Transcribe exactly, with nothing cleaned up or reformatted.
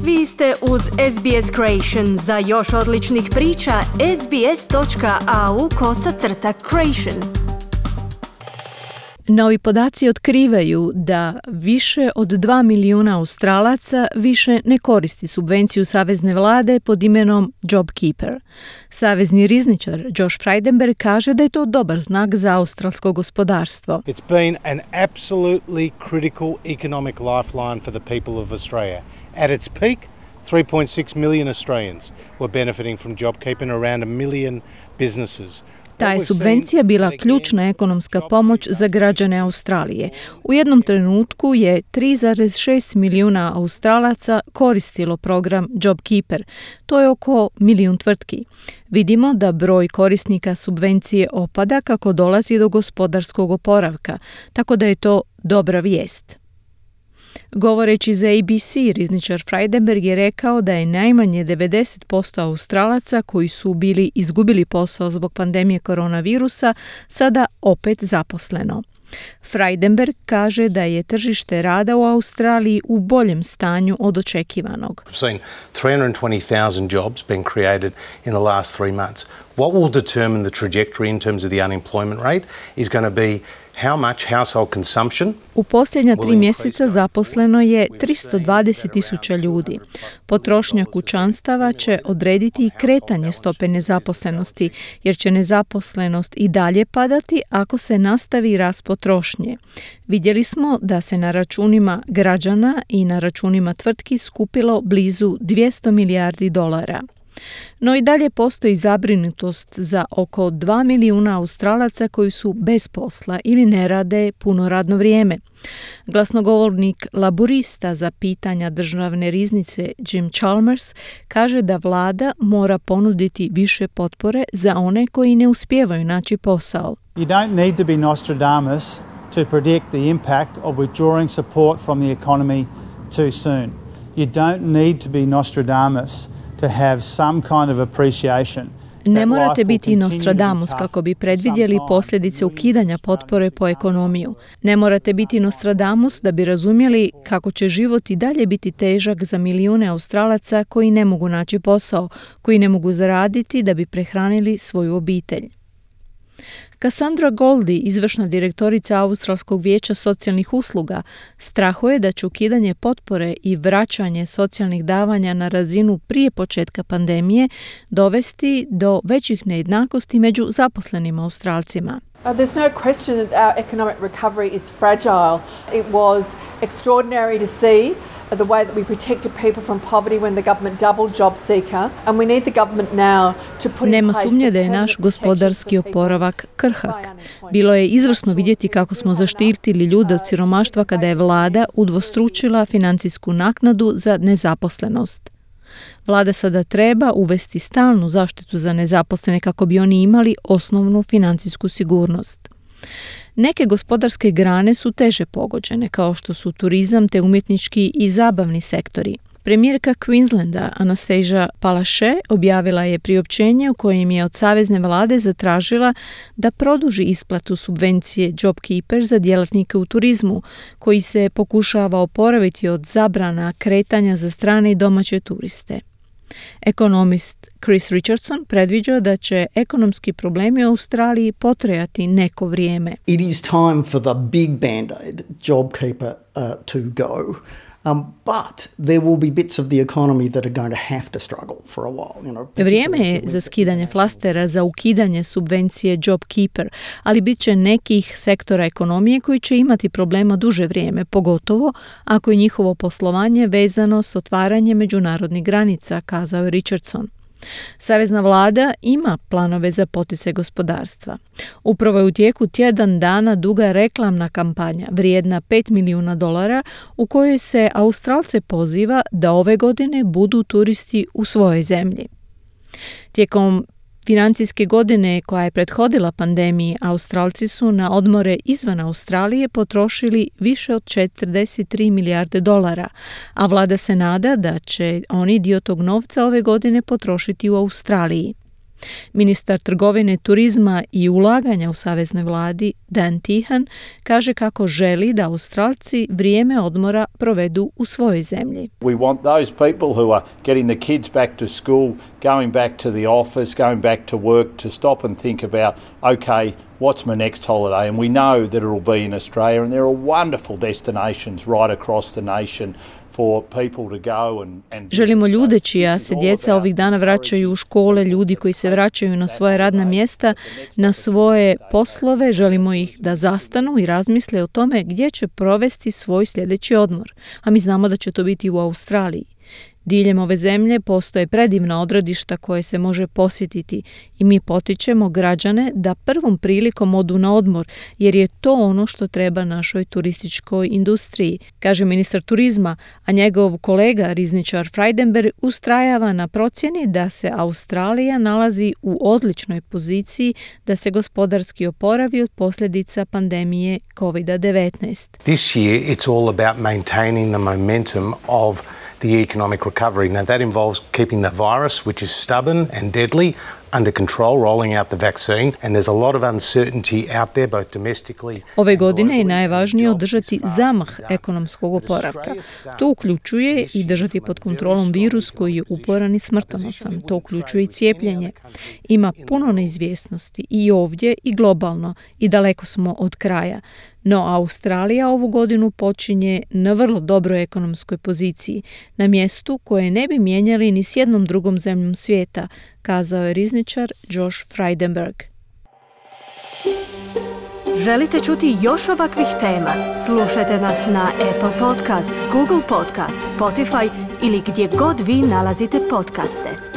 Vi ste uz S B S Creation. Za još odličnih priča, sbs.au kosacrta creation. Novi podaci otkrivaju da više od dva milijuna Australaca više ne koristi subvenciju savezne vlade pod imenom JobKeeper. Savezni rizničar Josh Frydenberg kaže da je to dobar znak za australsko gospodarstvo. It's been an absolutely critical economic lifeline for the people of Australia. At its peak, three point six million Australians were benefiting from JobKeeper and around a million businesses. Ta je subvencija bila ključna ekonomska pomoć za građane Australije. U jednom trenutku je tri zarez šest milijuna Australaca koristilo program JobKeeper. To je oko milijun tvrtki. Vidimo da broj korisnika subvencije opada kako dolazi do gospodarskog oporavka, tako da je to dobra vijest. Govoreći za A B C, rizničar Frydenberg je rekao da je najmanje devedeset posto Australaca koji su bili izgubili posao zbog pandemije koronavirusa sada opet zaposleno. Frydenberg kaže da je tržište rada u Australiji u boljem stanju od očekivanog. We've seen three hundred twenty thousand jobs being created in the last three months. What will determine the trajectory in terms of the unemployment rate is going to be how much household consumption. U posljednja tri mjeseca zaposleno je tristo dvadeset tisuća ljudi. Potrošnja kućanstava će odrediti i kretanje stope nezaposlenosti, jer će nezaposlenost i dalje padati ako se nastavi rast potrošnje. Vidjeli smo da se na računima građana i na računima tvrtki skupilo blizu dvjesto milijardi dolara. No i dalje postoji zabrinutost za oko dva milijuna Australaca koji su bez posla ili ne rade puno radno vrijeme. Glasnogovornik laburista za pitanja državne riznice Jim Chalmers kaže da vlada mora ponuditi više potpore za one koji ne uspijevaju naći posao. You don't need to be Nostradamus to predict the impact of withdrawing support from the economy too soon. You don't need to be Nostradamus to have some kind of appreciation. Ne morate biti Nostradamus kako bi predvidjeli posljedice ukidanja potpore po ekonomiju. Ne morate biti Nostradamus da bi razumjeli kako će život i dalje biti težak za milijune Australaca koji ne mogu naći posao, koji ne mogu zaraditi da bi prehranili svoju obitelj. Cassandra Goldie, izvršna direktorica Australskog vijeća socijalnih usluga, strahuje da će ukidanje potpore i vraćanje socijalnih davanja na razinu prije početka pandemije dovesti do većih nejednakosti među zaposlenim Australcima. Uh, there's no question that our economic recovery is fragile. It was extraordinary to see the way that we protected people from poverty when the government doubled job seeker, and we need the government now to put in Nema place sumnje da je naš gospodarski oporavak krhak. Bilo je izvrsno vidjeti kako smo zaštitili ljude od siromaštva kada je vlada udvostručila financijsku naknadu za nezaposlenost. Vlada sada treba uvesti stalnu zaštitu za nezaposlene kako bi oni imali osnovnu financijsku sigurnost. Neke gospodarske grane su teže pogođene, kao što su turizam te umjetnički i zabavni sektori. Premijerka Queenslanda Anastasia Palaszczuk objavila je priopćenje u kojem je od savezne vlade zatražila da produži isplatu subvencije JobKeeper za djelatnike u turizmu, koji se pokušava oporaviti od zabrana kretanja za strane i domaće turiste. Ekonomist Chris Richardson predviđa da će ekonomski problemi u Australiji potrajati neko vrijeme. It is time for the big band-aid, JobKeeper, uh, to go. Um, but there will be bits of the economy that are going to have to struggle for a while. You know, Vrijeme je za skidanje flastera, za ukidanje subvencije JobKeeper, ali bit će nekih sektora ekonomije koji će imati problema duže vrijeme, pogotovo ako je njihovo poslovanje vezano s otvaranjem međunarodnih granica, kazao je Richardson. Savezna vlada ima planove za poticaj gospodarstva. Upravo je u tijeku tjedan dana duga reklamna kampanja vrijedna pet milijuna dolara u kojoj se Australce poziva da ove godine budu turisti u svojoj zemlji. Tijekom financijske godine koja je prethodila pandemiji, Australci su na odmore izvan Australije potrošili više od četrdeset tri milijarde dolara, a vlada se nada da će oni dio tog novca ove godine potrošiti u Australiji. Ministar trgovine, turizma i ulaganja u saveznoj vladi, Dan Tehan, kaže kako želi da Australci vrijeme odmora provedu u svojoj zemlji. We want those people who are getting the kids back to school, going back to the office, going back to work, to stop and think about, okay, what's my next holiday? And we know that it will be in Australia, and there are wonderful destinations right across the nation for people to go and, and Želimo ljude čija se djeca ovih dana vraćaju u škole, ljudi koji se vraćaju na svoje radna mjesta, na svoje poslove, želimo ih da zastanu i razmisle o tome gdje će provesti svoj sljedeći odmor. A mi znamo da će to biti u Australiji. Diljem ove zemlje postoje predivna odredišta koje se može posjetiti i mi potičemo građane da prvom prilikom odu na odmor, jer je to ono što treba našoj turističkoj industriji, kaže ministar turizma, a njegov kolega rizničar Frydenberg ustrajava na procjeni da se Australija nalazi u odličnoj poziciji da se gospodarski oporavi od posljedica pandemije kovid devetnaest. This year it's all about maintaining the momentum of the economic recovery. Now that involves keeping the virus, which is stubborn and deadly, under control, rolling out the vaccine, and there's a lot of uncertainty out there, both domestically. Ove godine je najvažnije održati zamah ekonomskog oporavka. To uključuje i držati pod kontrolom virus koji je uporan i smrtonosan. To uključuje i cijepljenje. Ima puno neizvjesnosti i ovdje i globalno i daleko smo od kraja. No Australija ovu godinu počinje na vrlo dobroj ekonomskoj poziciji, na mjestu koje ne bi mijenjali ni s jednom drugom zemljom svijeta, kazao je rizničar Josh Frydenberg. Želite čuti još ovakvih tema? Slušajte nas na Apple Podcast, Google Podcast, Spotify ili gdje god vi nalazite podcaste.